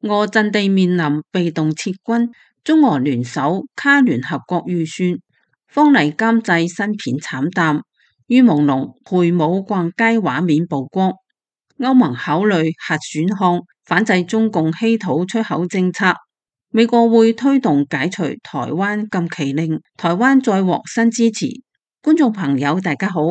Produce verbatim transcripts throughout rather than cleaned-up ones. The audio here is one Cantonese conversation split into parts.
俄陣地面臨被動撤軍，中俄聯手卡聯合國預算，方麗監製新片慘淡，於朦朧陪舞逛街畫面曝光。歐盟考慮核選項，反制中共稀土出口政策。美國會推動解除台灣禁期令，台灣再獲新支持。觀眾朋友大家好。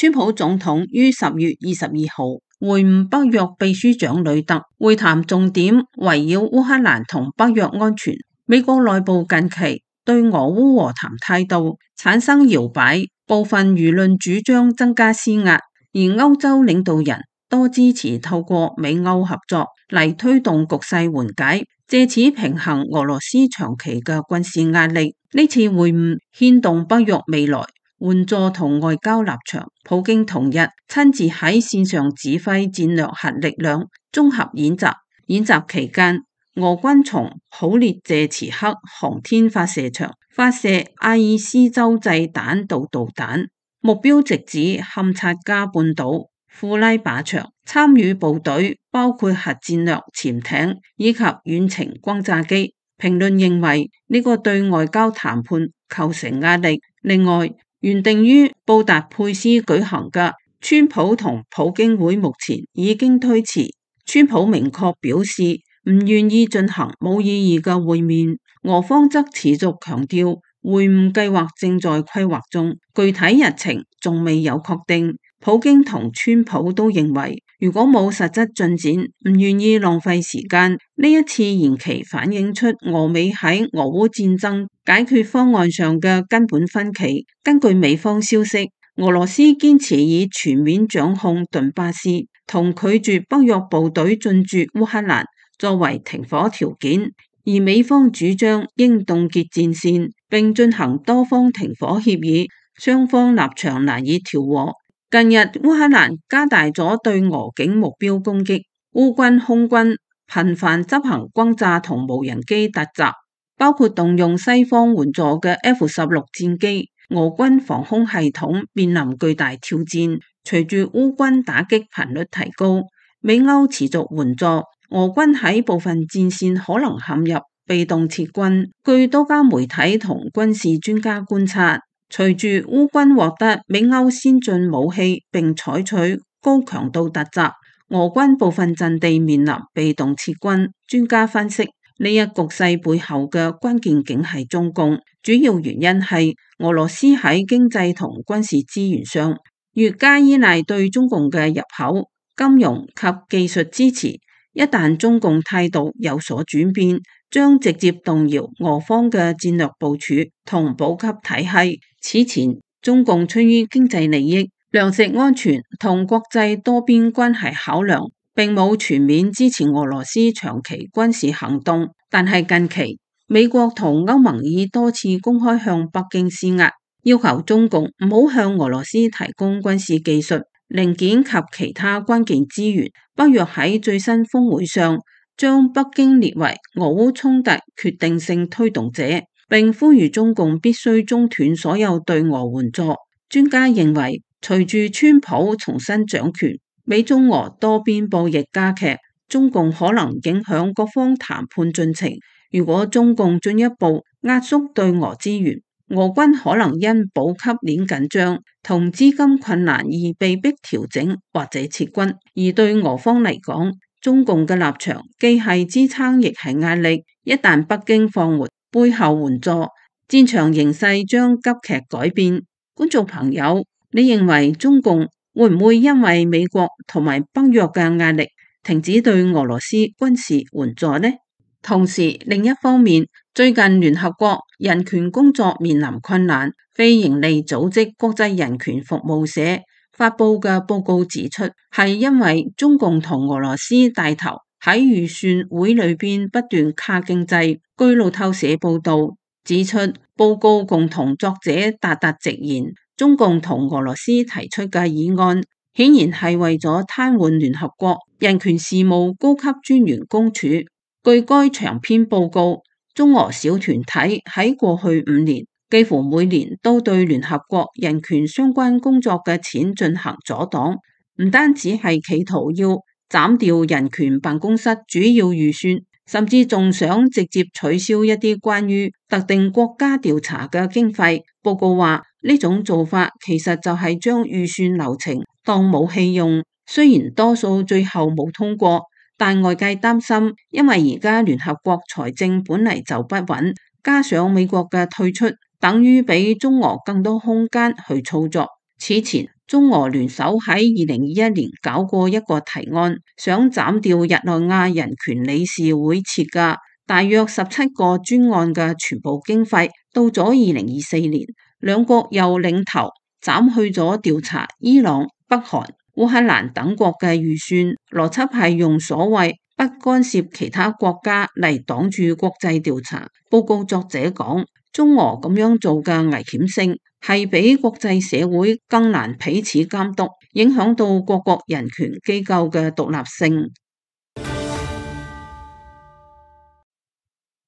川普總統於十月二十二號會晤北約秘書長呂特，會談重點圍繞烏克蘭同北約安全。美國內部近期對俄烏和談態度產生搖擺，部分輿論主張增加施壓，而歐洲領導人多支持透過美歐合作嚟推動局勢緩解，借此平衡俄羅斯長期嘅軍事壓力。呢次會晤牽動北約未來援助同外交立場。普京同日親自喺線上指揮戰略核力量綜合演習，演習期間，俄軍從普列謝茨克航天發射場發射阿爾斯洲際彈道導彈，目標直指堪察加半島、庫拉靶場。參與部隊包括核戰略潛艇以及遠程轟炸機。評論認為呢個對外交談判構成壓力。另外，原定於布達佩斯舉行嘅川普同普京會目前已經推遲。川普明確表示唔願意進行冇意義嘅會面，俄方則持續強調會晤計劃正在規劃中，具體日程仲未有確定。普京同川普都認為，如果冇實質進展，唔願意浪費時間。呢一次延期反映出俄美喺俄烏戰爭解決方案上嘅根本分歧。根據美方消息，俄羅斯堅持以全面掌控頓巴斯同拒絕北約部隊進駐烏克蘭作為停火條件，而美方主張應凍結戰線並進行多方停火協議，雙方立場難以調和。近日烏克蘭加大咗對俄境目標攻擊，烏軍空軍頻繁執行轟炸同無人機突襲，包括動用西方援助嘅 F 十六 戰機。俄軍防空系統面臨巨大挑戰，隨住烏軍打擊頻率提高，美歐持續援助，俄軍喺部分戰線可能陷入被動撤軍。據多家媒體同軍事專家觀察，隨住烏軍獲得美歐先進武器並採取高強度突襲，俄軍部分陣地面臨被動撤軍。專家分析，呢一局勢背後嘅關鍵竟係中共，主要原因係俄羅斯喺經濟同軍事資源上越加依賴對中共嘅入口、金融及技術支持。一旦中共態度有所轉變，將直接動搖俄方嘅戰略部署同補給體系。此前，中共出於經濟利益、糧食安全同國際多邊關係考量，並冇全面支持俄羅斯長期軍事行動。但係近期，美國同歐盟已多次公開向北京施壓，要求中共唔好向俄羅斯提供軍事技術、零件及其他關鍵資源。北約喺最新峰會上將北京列為俄烏衝突決定性推動者，並呼籲中共必須中斷所有對俄援助。專家認為，隨住川普重新掌權，美中俄多邊博弈加劇，中共可能影響各方談判進程。如果中共進一步壓縮對俄資源，俄軍可能因補給鏈緊張同資金困難而被迫調整或者撤軍。而對俄方嚟講，中共嘅立場既係支撐亦係壓力。一旦北京放緩背後援助，戰場形勢將急劇改變。觀眾朋友，你認為中共會唔會因為美國同埋北約嘅壓力停止對俄羅斯軍事援助呢？同時，另一方面，最近聯合國人權工作面臨困難，非營利組織國際人權服務社發佈嘅報告指出，係因為中共同俄羅斯帶頭喺預算會裏邊不斷卡經濟。據路透社報道指出，報告共同作者達達直言，中共同俄羅斯提出嘅議案顯然係為咗癱瘓聯合國人權事務高級專員公署。據該長篇報告，中俄小團體喺過去五年幾乎每年都對聯合國人權相關工作嘅錢進行阻擋，唔單止係企圖要斬掉人權辦公室主要預算，甚至仲想直接取消一啲關於特定國家調查嘅經費。報告話呢種做法其實就係將預算流程當武器用，雖然多數最後冇通過，但外界擔心，因為而家聯合國財政本嚟就不穩，加上美國嘅退出，等於俾中俄更多空間去操作。此前中俄聯手喺二零二一年搞過一個提案，想斬掉日內瓦人權理事會設嘅大約十七個專案嘅全部經費。到咗二零二四年，兩國又領頭斬去咗調查伊朗、北韓、烏克蘭等國嘅預算，邏輯係用所謂不干涉其他國家嚟擋住國際調查。報告作者講，中俄咁樣做嘅危險性係比國際社會更難彼此監督，影響到各國人權機構嘅獨立性。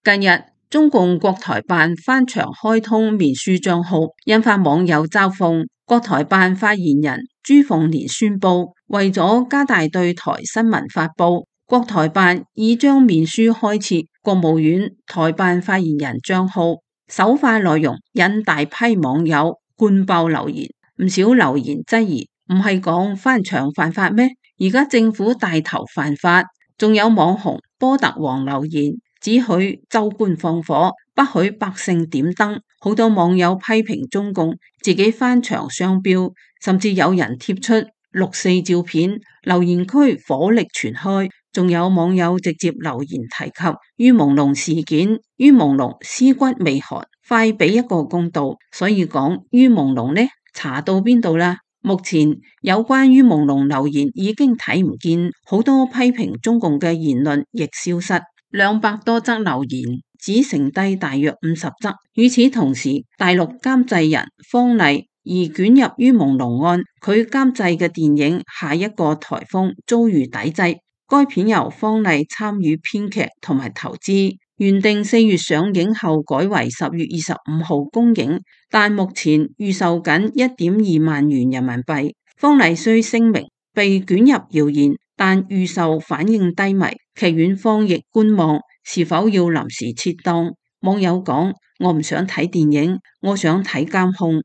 近日，中共國台辦翻牆開通面書賬號，引發網友嘲諷。國台辦發言人朱鳳蓮宣布，為咗加大對台新聞發佈，國台辦已將面書開設國務院台辦發言人賬號。首發內容引大批網友灌爆留言，唔少留言質疑，唔係講翻牆犯法咩？而家政府帶頭犯法，仲有網紅波特王留言，只許州官放火，不許百姓點燈。好多網友批評中共自己翻牆雙標，甚至有人貼出六四照片，留言區火力全開。仲有網友直接留言提及于朦朧事件，于朦朧屍骨未寒，快俾一個公道。所以講于朦朧呢，查到邊度啦？目前有關于朦朧留言已經睇唔見，好多批評中共嘅言論亦消失，兩百多則留言只剩低大約五十則。與此同時，大陸監製人方麗而捲入于朦朧案，佢監製嘅電影《下一個颱風》遭遇抵制。該片由方麗參與編劇同埋投資，原定四月上映後改為十月二十五號公映，但目前預售緊一點二萬元人民幣。方麗雖聲明被捲入謠言，但預售反應低迷，劇院方亦觀望是否要臨時撤檔。網友講：我唔想睇電影，我想睇監控。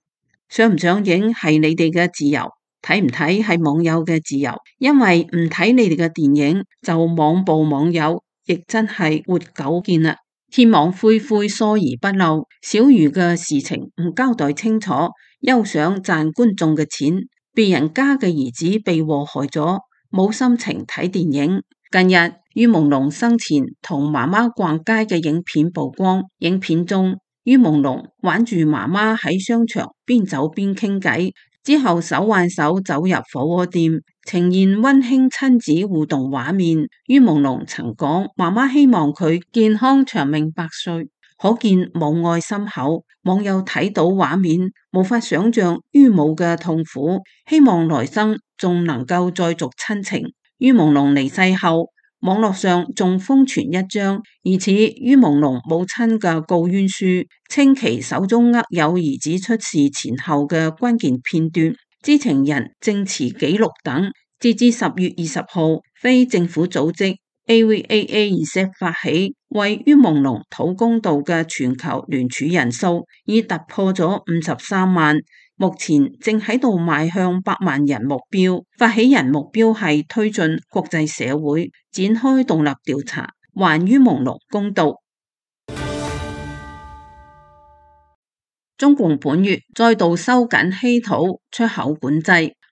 上唔上映係你哋嘅自由。睇唔睇係網友嘅自由，因為唔睇你哋嘅電影就網暴網友，亦真係活久見啦。天網恢恢，疏而不漏，小魚嘅事情唔交代清楚，休想賺觀眾嘅錢。別人家嘅兒子被禍害咗，冇心情睇電影。近日于朦朧生前同媽媽逛街嘅影片曝光，影片中于朦朧挽住媽媽喺商場邊走邊傾偈。之後手挽手走入火鍋店，呈現溫馨親子互動畫面。于朦朧曾講，媽媽希望佢健康長命百歲，可見母愛深厚。網友睇到畫面，無法想象于母嘅痛苦，希望來生仲能夠再續親情。于朦朧離世後，網絡上仲瘋傳一張疑似于朦朧母親嘅告冤書，稱其手中握有兒子出事前後嘅關鍵片段、知情人證詞記錄等。截至十月二十號，非政府組織 A V A A Z 發起為于朦朧討公道嘅全球聯署人數已突破咗五十三萬。目前正喺度邁向百萬人目標，發起人目標係推進國際社會展開獨立調查，還于朦朧公道。中共本月再度收緊稀土出口管制。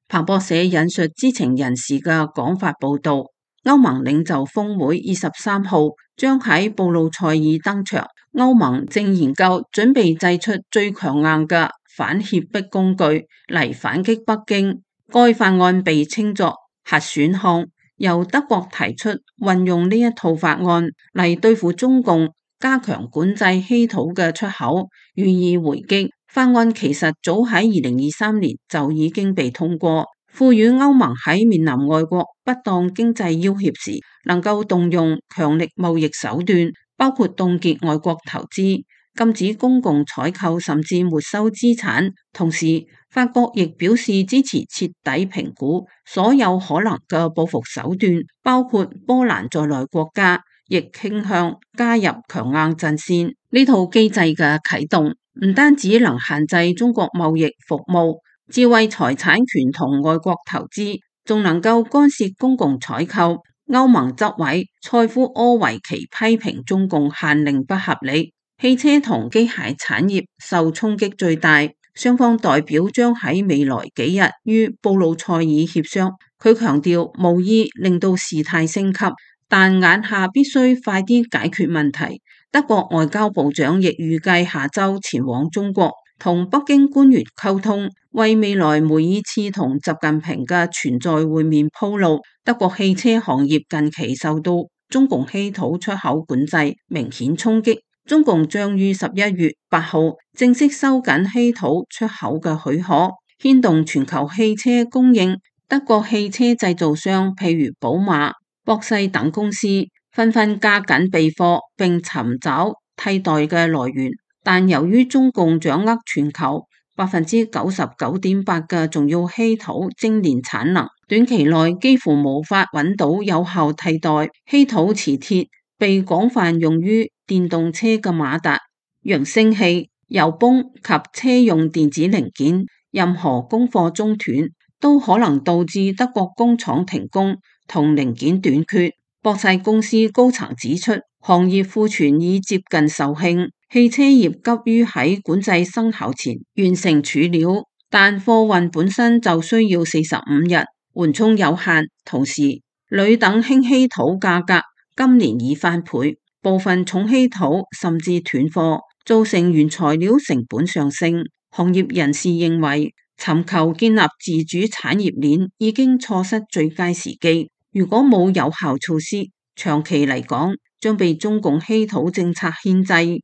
彭博社引述知情人士嘅講法報道，歐盟領袖峰會二十三號將喺布魯塞爾登場，歐盟正研究準備製出最強硬嘅反脅迫工具嚟反擊北京。該法案被稱作核選項，由德國提出運用呢一套法案嚟對付中共，加強管制稀土嘅出口，予以回擊。法案其實早喺二零二三年就已經被通過，賦予歐盟喺面臨外國不當經濟要挾時，能夠動用強力貿易手段，包括凍結外國投資。禁止公共採購甚至沒收資產。同時，法國亦表示支持徹底評估所有可能嘅報復手段，包括波蘭在內國家亦傾向加入強硬陣線。呢套機制嘅啟動唔單止能限制中國貿易服務、智慧財產權同外國投資，仲能夠干涉公共採購。歐盟執委塞夫柯維奇批評中共限令不合理，汽車同機械產業受衝擊最大。雙方代表將喺未來幾日於布魯塞爾協商。佢強調無意令到事態升級，但眼下必須快啲解決問題。德國外交部長亦預計下周前往中國，同北京官員溝通，為未來梅爾茨同習近平嘅存在會面鋪路。德國汽車行業近期受到中共稀土出口管制明顯衝擊，中共將於十一月八號正式收緊稀土出口嘅許可，牽動全球汽車供應。德國汽車製造商譬如寶馬、博世等公司紛紛加緊備貨並尋找替代嘅來源，但由於中共掌握全球百分之九十九點八嘅重要稀土精煉產能，短期內幾乎無法揾到有效替代。稀土磁鐵被廣泛用於電動車嘅馬達、揚聲器、油泵及車用電子零件，任何供貨中斷都可能導致德國工廠停工同零件短缺。博世公司高層指出，行業庫存已接近售罄，汽車業急於喺管制生效前完成儲料，但貨運本身就需要四十五日，緩衝有限。同時，鋁等輕稀土價格今年已翻倍，部分重稀土甚至斷貨，造成原材料成本上升。行業人士認為，尋求建立自主產業鏈已經錯失最佳時機。如果冇有效措施，長期嚟講將被中共稀土政策牽制。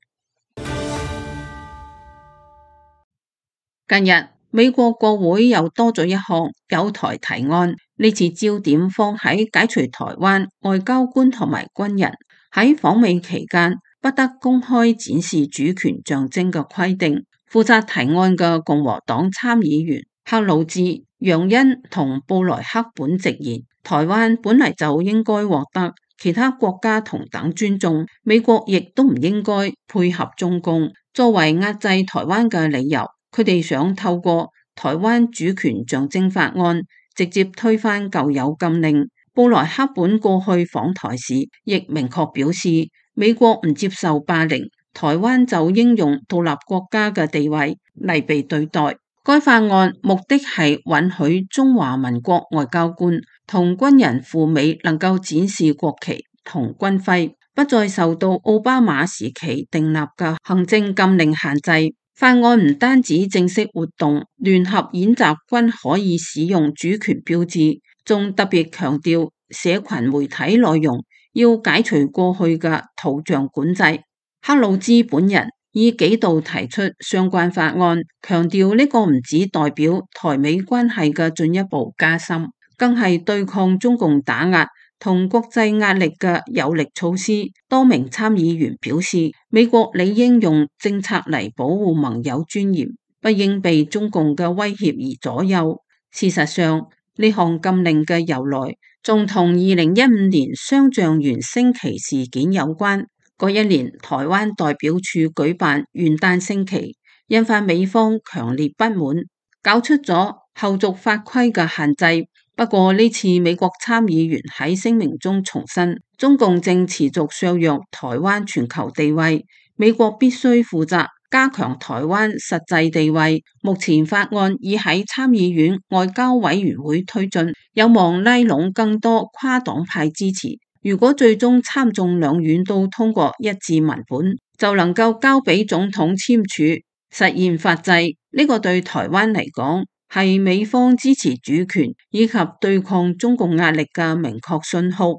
近日，美國國會又多咗一項友台提案，呢次焦點放喺解除台灣外交官同埋軍人喺訪美期間不得公開展示主權象徵嘅規定。負責提案嘅共和黨參議員克魯茲、楊恩同布萊克本直言，台灣本嚟就應該獲得其他國家同等尊重，美國亦都唔應該配合中共作為壓制台灣嘅理由。佢哋想透過台灣主權象徵法案直接推翻舊有禁令。布萊克本過去訪台時亦明確表示，美國唔接受霸凌，台灣就應用獨立國家嘅地位嚟被對待。該法案目的係允許中華民國外交官同軍人赴美能夠展示國旗同軍徽，不再受到奧巴馬時期訂立嘅行政禁令限制。法案唔單止正式活動聯合演習軍可以使用主權標誌，仲特別強調社群媒體內容要解除過去嘅圖像管制。克魯茲本人已幾度提出相關法案，強調呢個唔只代表台美關係嘅進一步加深，更係對抗中共打壓同國際壓力嘅有力措施。多名參議員表示，美國理應用政策嚟保護盟友尊嚴，不應被中共嘅威脅而左右。事實上，呢項禁令嘅由來仲同二零一五年雙橡園升旗事件有關。嗰一年，台灣代表處舉辦元旦升旗，引發美方強烈不滿，搞出咗後續法規嘅限制。不過呢次美國參議員喺聲明中重申，中共正持續削弱台灣全球地位，美國必須負責加強台灣實際地位。目前法案已喺參議院外交委員會推進，有望拉攏更多跨黨派支持。如果最終參眾兩院都通過一致文本，就能夠交俾總統簽署，實現法制。呢個對台灣嚟講，係美方支持主權以及對抗中共壓力嘅明確信號。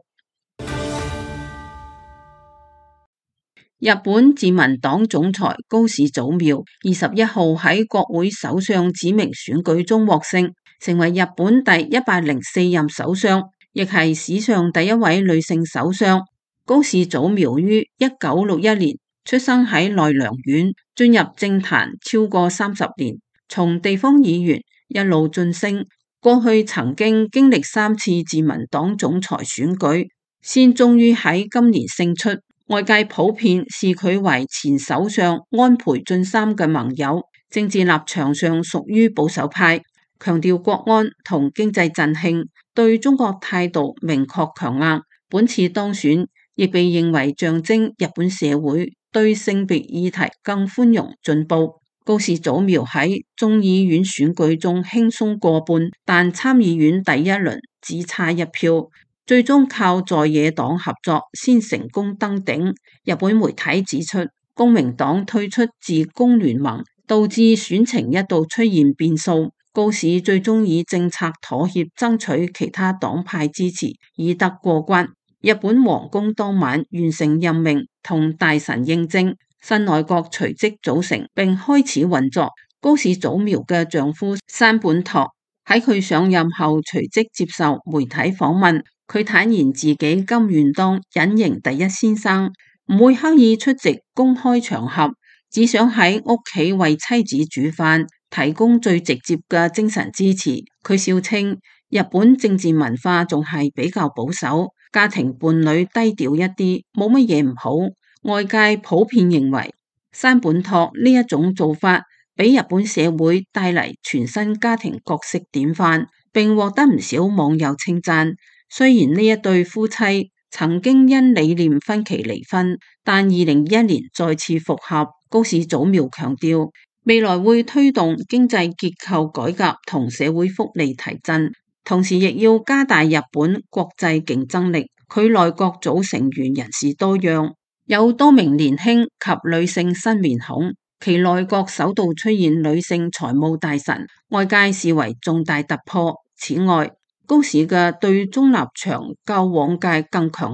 日本自民黨總裁高市早苗二十一號喺國會首相指名選舉中獲勝，成為日本第一百零四任首相，亦係史上第一位女性首相。高市早苗於一九六一年出生喺奈良縣，進入政壇超過三十年，從地方議員一路晉升，過去曾經經歷三次自民黨總裁選舉，先終於喺今年勝出。外界普遍視佢為前首相安倍晉三嘅盟友，政治立場上屬於保守派，強調國安同經濟振興，對中國態度明確強硬。本次當選亦被認為象徵日本社會對性別議題更寬容進步。高市早苗喺眾議院選舉中輕鬆過半，但參議院第一輪只差一票，最終靠在野黨合作先成功登頂。日本媒體指出，公明黨退出自公聯盟，導致選情一度出現變數。高市最終以政策妥協爭取其他黨派支持，以得過關。日本皇宮當晚完成任命同大臣應徵，新內閣隨即組成並開始運作。高市早苗嘅丈夫山本拓喺佢上任後隨即接受媒體訪問，佢坦言自己甘願當隱形第一先生，唔會刻意出席公開場合，只想喺屋企為妻子煮飯，提供最直接嘅精神支持。佢笑稱日本政治文化仲係比較保守，家庭伴侶低調一啲，冇乜嘢唔好。外界普遍認為山本拓呢一種做法俾日本社會帶嚟全新家庭角色典範，並獲得唔少網友稱讚。雖然呢一對夫妻曾經因理念分歧離婚，但二零二一年再次復合。高市早苗強調，未來會推動經濟結構改革同社會福利提振，同時亦要加大日本國際競爭力。佢內閣組成員人士多樣，有多名年輕及女性新面孔，其內閣首度出現女性財務大臣，外界視為重大突破。此外，高市嘅對中立場較往屆更強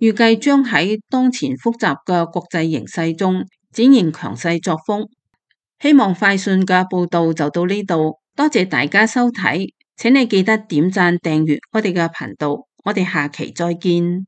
硬，預計將喺當前複雜嘅國際形勢中展現強勢作風。希望快訊嘅報道就到呢度，多謝大家收睇，請你記得點讚訂閱我哋嘅頻道，我哋下期再見。